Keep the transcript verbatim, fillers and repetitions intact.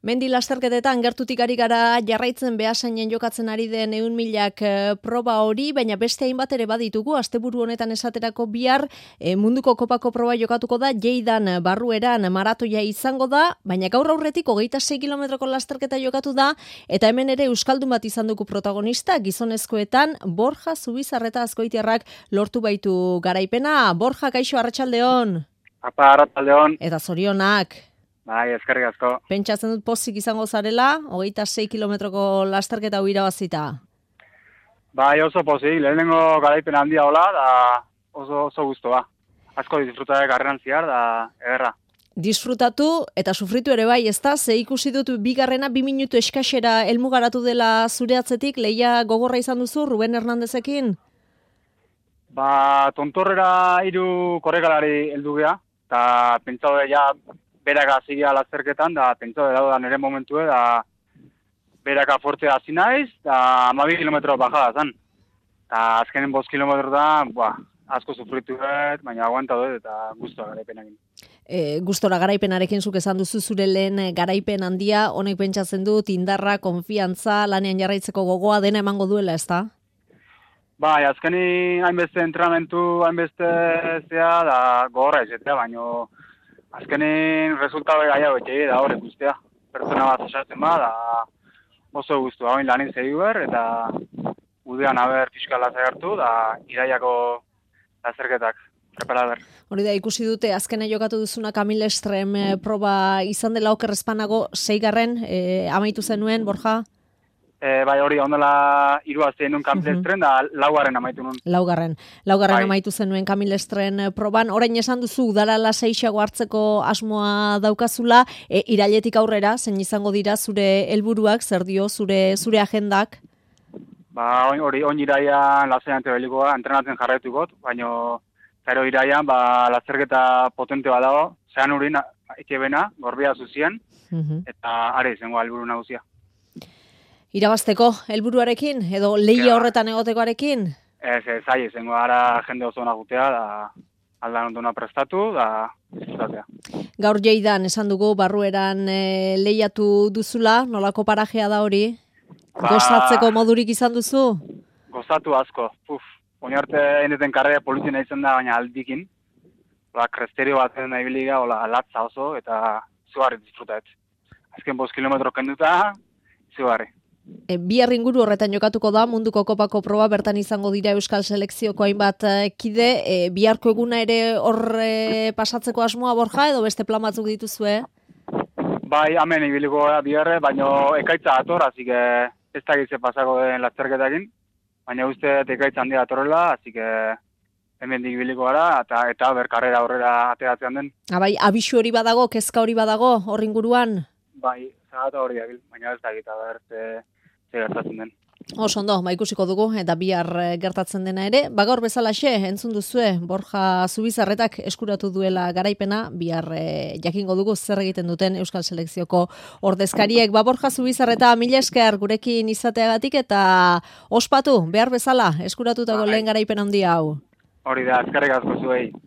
Mendi lasterketetan gertutik ari gara jarraitzen Beasainen jokatzen ari den ehun milak e, proba hori, baina beste hainbat ere baditugu. Asteburu honetan esaterako bihar e, munduko kopako proba jokatuko da, Jeidan barrueran maratoia izango da, baina gaur aurretik hogeita sei kilometroko lasterketa jokatu da, eta hemen ere euskaldun bat izan dugu protagonista, gizonezkoetan Borja Zubizarreta Azkoitiarrak lortu baitu garaipena. Borja, kaixo, arratsaldeon. Apa, arratsaldeon. Eta zorionak. Bai, eskerrik asko. Pentsatzen dut pozik izango zarela, hogeita sei kilometroko lasterketa hau irabazita. Bai, oso pozik, lehenengo garaipen handia hola, da oso, oso guztua. Asko disfrutatek garreran ziar, da ederra. Disfrutatu eta sufritu ere bai, ezta? Ze ikusi dut bigarrena bi minutu eskaxera helmugaratu dela zure atzetik, lehia gogorra izan duzu Ruben Hernandezekin? Ba, tontorrera hiru korrekalari heldu gea, eta pentsau ja beraka zigia lasterketan, da pentsau da nire momentue, da beraka fortzea hasi naiz, da hamabi kilometro bajada zan. Eta azkenen bost kilometro da, ba, asko sufritu dut, baina aguanta dut eta guztua garaipenakin. E, gustora garaipenarekin zuk esan duzu zure lehen garaipen handia, honek pentsatzen dut indarra, konfiantza, lanean jarraitzeko gogoa dena emango duela, ezta? Bai, azkeni hainbeste entrenamentu, hainbeste zea, da gogorra izatea, baino azkenin resultado gaiago etxegi da hori guztia. Pertsona bat osatzen ba, da oso guztu. Hau lanin zegi ber, eta udean haber fiskala zagertu, da iraiako lazerketak. Prepara ber. Hori da, ikusi dute, azkena jokatu duzuna Camille Estrem e, proba izan dela oker espanago, seigarren, e, amaitu zenuen, Borja? E, bai hori, ondela iruazten nun Camille Estrem, da laugarren amaitu nun. Laugarren. Laugarren bai. Amaitu zenuen Camille Estrem proban. Orain esan duzu, udara laseixago hartzeko asmoa daukazula, e, irailetik aurrera, zein izango dira zure helburuak, zer dio zure zure agendak? Ba, hori, on iraian lasean tebelikoa, entrenatzen jarraitugot, baino zero iraian, ba, lasterketa potente bat dago, zean urin, ekebena, gorbia zuzien, uh-huh. Eta are izango helburu nagusia. Irabazteko helburuarekin edo lehia horretan egotekoarekin? Ez, ez, ahi, izango ara jende oso nagutea, da aldan ondona prestatu, da disfrutatea. Gaur Jeidan esan dugu barrueran e, lehiatu duzula, nolako parajea da hori? Ba, gozatzeko modurik izan duzu? Gozatu asko, puf. Oinarte eneten karrea polizien izan da, baina aldikin. Ba, kresterio batzen nahi biliga, hola, latza oso, eta zugarri disfrutaet. Azken bost kilometro kenduta, zugarri. E, bihar inguru horretan jokatuko da, munduko kopako proba bertan izango dira Euskal Selekzioko hainbat kide, e, biharko eguna ere hor e, pasatzeko asmoa, Borja, edo beste plan batzuk dituzue? Bai, hemen ibiliko gara biharre, baina ekaitza ator, hasi que ez da gitze pasako den lasterketakin, baina uste ekaitza handia atorrela, hasi que hemen ibiliko gara, eta, eta ber karrera aurrera ateratzen den. Ah, bai, abisu hori badago, kezka hori badago, hor inguruan? Bai, zagata hori dabil, baina ez da gita ber, ze, ze gertatzen den. Oso ondo, ba ikusiko dugu, eta bihar gertatzen dena ere. Ba gaur bezalaxe, entzun duzue, Borja Zubizarretak eskuratu duela garaipena, bihar e, jakingo dugu zer egiten duten Euskal Selekzioko ordezkariek. Ba Borja Zubizarreta, mila esker gurekin izateagatik, eta ospatu, behar bezala, eskuratutako lehen garaipen handia hau. Hori da, eskerrik asko zuei.